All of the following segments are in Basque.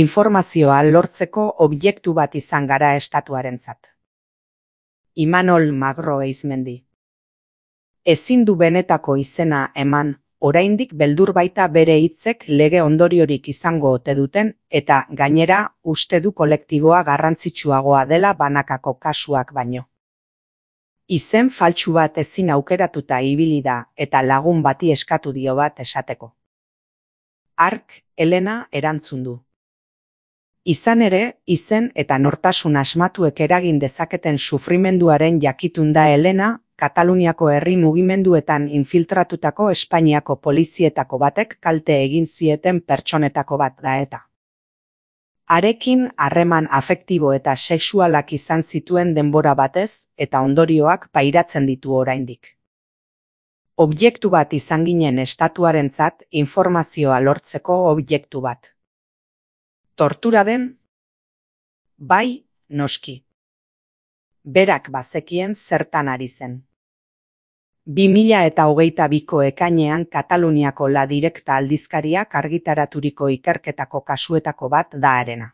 Informazioa lortzeko objektu bat izan gara estatuarentzat. Imanol Magro Eizmendi. Ezin du benetako izena eman, oraindik beldur baita bere hitzek lege ondoriorik izango ote duten, eta gainera uste du kolektiboa garrantzitsuagoa dela banakako kasuak baino. Izen faltsu bat ezin aukeratuta ibili da eta lagun bati eskatu dio bat esateko. Hark, Elena erantzun du. Izan ere, izen eta nortasun asmatuek eragin dezaketen sufrimenduaren jakitun da Elena, Kataluniako herri mugimenduetan infiltratutako Espainiako polizietako batek kalte egin zieten pertsonetako bat da eta. Harekin harreman afektibo eta sexualak izan zituen denbora batez eta ondorioak pairatzen ditu oraindik. Objektu bat izan ginen estatuarentzat informazioa lortzeko objektu bat. Tortura den? Bai, noski. Berak bazekien zertan ari zen. 2022ko ekainean Kataluniako La Directa aldizkariak argitaraturiko ikerketako kasuetako bat da harena.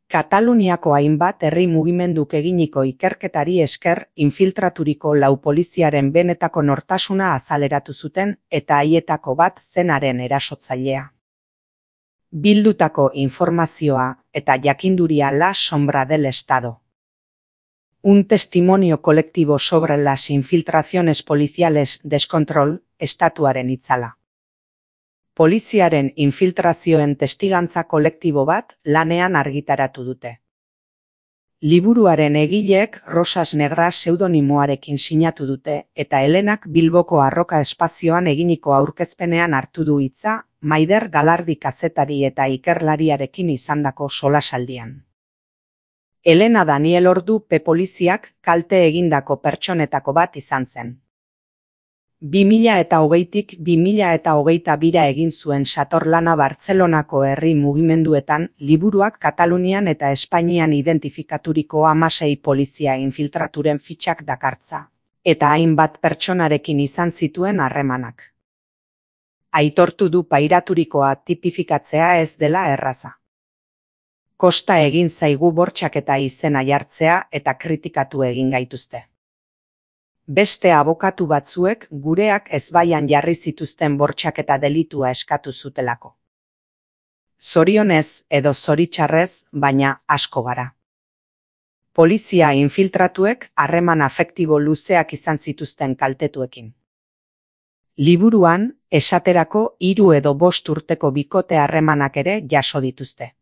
Kataluniako hainbat herri mugimenduk eginiko ikerketari esker infiltraturiko lau poliziaren benetako nortasuna azaleratu zuten eta haietako bat zenaren erasotzailea. Bildutako informazioa eta jakinduria la sombra del Estado. Un testimonio colectivo sobre las infiltraciones policiales descontrol, estatuaren itzala. Poliziaren infiltrazioen testigantza kolektibo bat lanean argitaratu dute. Liburuaren egileek Rosas Negras pseudonimoarekin sinatu dute eta Helenak Bilboko Arroka espazioan eginiko aurkezpenean hartu du hitza Maider Galardi kazetari eta ikerlariarekin izandako solasaldian. Elena Daniel Ordu poliziak kalte egindako pertsonetako bat izan zen. 2020tik 2022 egin zuen satorlana Bartzelonako herri mugimenduetan liburuak Katalunian eta Espainian identifikaturiko 16 polizia infiltraturen fitxak dakartza, eta hainbat pertsonarekin izan zituen harremanak. Aitortu du pairaturikoa tipifikatzea ez dela erraza. Kosta egin zaigu bortxaketa izena jartzea eta kritikatu egin gaituzte. Beste abokatu batzuek gureak ezbaian jarri zituzten bortxaketa delitua eskatu zutelako. Zorionez edo zoritxarrez, baina asko gara. Polizia infiltratuek harreman afektibo luzeak izan zituzten kaltetuekin. Liburuan, esaterako 3 edo 5 urteko bikote harremanak ere jaso dituzte.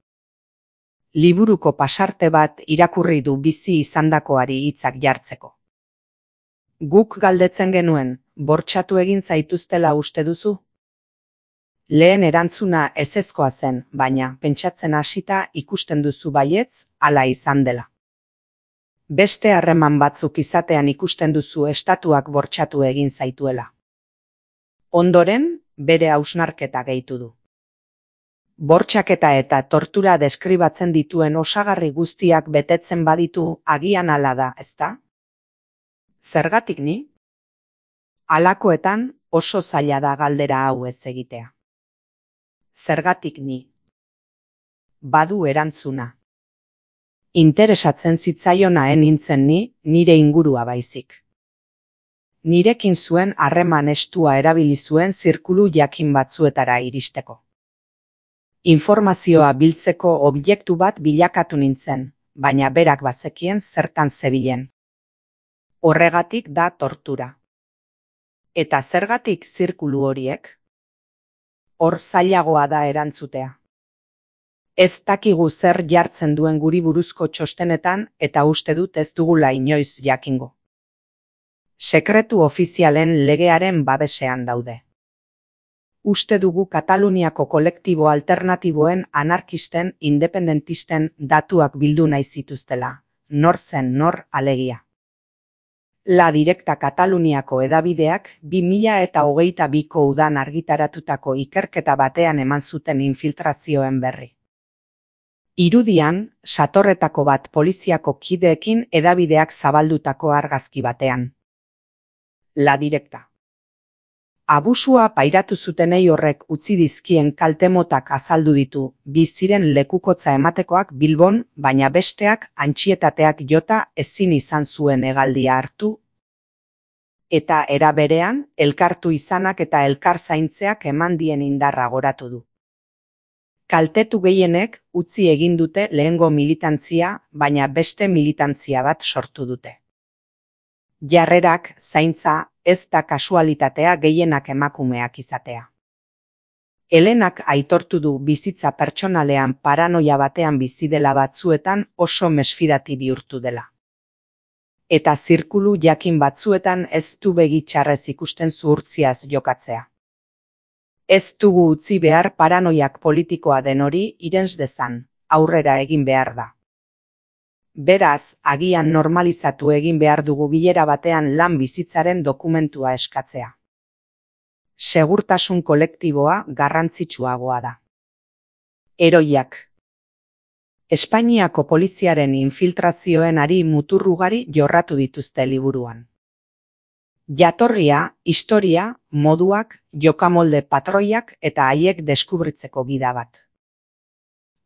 Liburuko pasarte bat irakurri du bizi izandakoari hitzak jartzeko. Guk galdetzen genuen, bortxatu egin zaituztela uste duzu? Lehen erantzuna ezezkoa zen, baina pentsatzen hasita ikusten duzu baietz, hala izan dela. Beste harreman batzuk izatean ikusten duzu estatuak bortxatu egin zaituela. Ondoren, bere hausnarketa gehitu du. Bortxaketa eta tortura deskribatzen dituen osagarri guztiak betetzen baditu agian hala da, ezta? Zergatik ni? Halakoetan oso zaila da galdera hau ez egitea. Zergatik ni? Badu erantzuna. Interesatzen zitzaionaen nintzen ni, nire ingurua baizik. Nirekin zuen harreman estua erabili zuen zirkulu jakin batzuetara iristeko. Informazioa biltzeko objektu bat bilakatu nintzen, baina berak bazekien zertan zebilen. Horregatik da tortura. Eta zergatik zirkulu horiek? Hor zailagoa da erantzutea. Ez dakigu zer jartzen duen guri buruzko txostenetan eta uste dut ez dugula inoiz jakingo. Sekretu ofizialen legearen babesean daude. Uste dugu Kataluniako kolektibo alternatiboen anarkisten, independentisten datuak bildu nahi zituztela. Nor zen nor alegia. La Directa Kataluniako edabideak 2022ko udan argitaratutako ikerketa batean eman zuten infiltrazioen berri. Irudian, satorretako bat poliziako kideekin edabideak zabaldutako argazki batean. La Directa. Abusua pairatu zutenei horrek utzi dizkien kaltemotak azaldu ditu, bi ziren lekukotza ematekoak Bilbon, baina besteak antsietateak jota ezin izan zuen hegaldia hartu, eta era berean, elkartu izanak eta elkar zaintzeak eman dien indarra goratu du. Kaltetu gehienek utzi egin dute lehengo militantzia, baina beste militantzia bat sortu dute. Jarrerak, zaintza, ez da kasualitatea gehienak emakumeak izatea. Helenak aitortu du bizitza pertsonalean paranoia batean bizi dela batzuetan oso mesfidati bihurtu dela. Eta zirkulu jakin batzuetan ez du begi txarrez ikusten zuhurtziaz jokatzea. Ez dugu utzi behar paranoiak politikoa den hori irens dezan, aurrera egin behar da. Beraz, agian normalizatu egin behar dugu bilera batean lan bizitzaren dokumentua eskatzea. Segurtasun kolektiboa garrantzitsuagoa da. Heroiak. Espainiako poliziaren infiltrazioen ari mutur ugari jorratu dituzte liburuan. Jatorria, historia, moduak, jokamolde patroiak eta haiek deskubritzeko gida bat.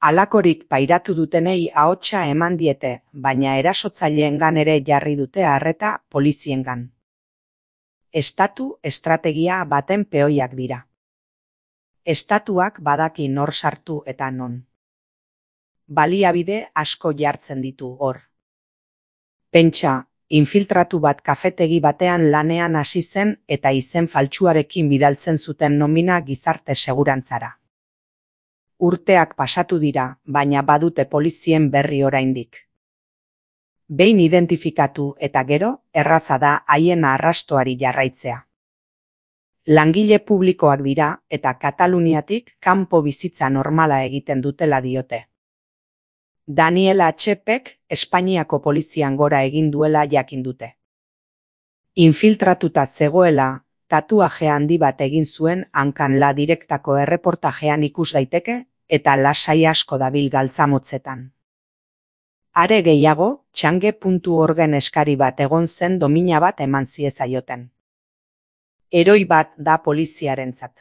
Halakorik pairatu dutenei ahotsa eman diete, baina erasotzaileengan ere jarri dute arreta poliziengan. Estatu estrategia baten peoiak dira. Estatuak badaki nor sartu eta non. Baliabide asko jartzen ditu hor. Pentsa, infiltratu bat kafetegi batean lanean hasi zen eta izen faltsuarekin bidaltzen zuten nomina gizarte segurantzara. Urteak pasatu dira, baina badute polizien berri oraindik. Behin identifikatu eta gero, erraza da haien arrastoari jarraitzea. Langile publikoak dira eta Kataluniatik kanpo bizitza normala egiten dutela diote. Daniel Atxepek Espainiako polizian gora egin duela jakin dute. Infiltratuta zegoela, tatuaje handi bat egin zuen hankan La Direktako erreportajean ikus daiteke, eta lasai asko dabil galtzamotzetan. Are gehiago, txange.orgen eskari bat egon zen domina bat eman ziezaioten. Heroi bat da poliziarentzat.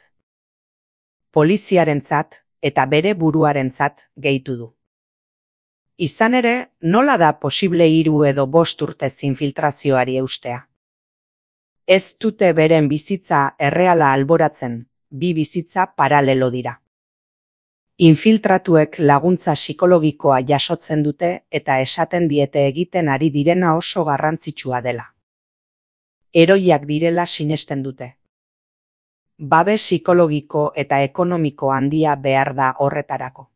Poliziarentzat eta bere buruarentzat gehitu du. Izan ere, nola da posible 3 edo 5 urtez infiltrazioari eustea? Ez dute beren bizitza erreala alboratzen, bi bizitza paralelo dira. Infiltratuek laguntza psikologikoa jasotzen dute eta esaten diete egiten ari direna oso garrantzitsua dela. Heroiak direla sinesten dute. Babes psikologiko eta ekonomiko handia behar da horretarako.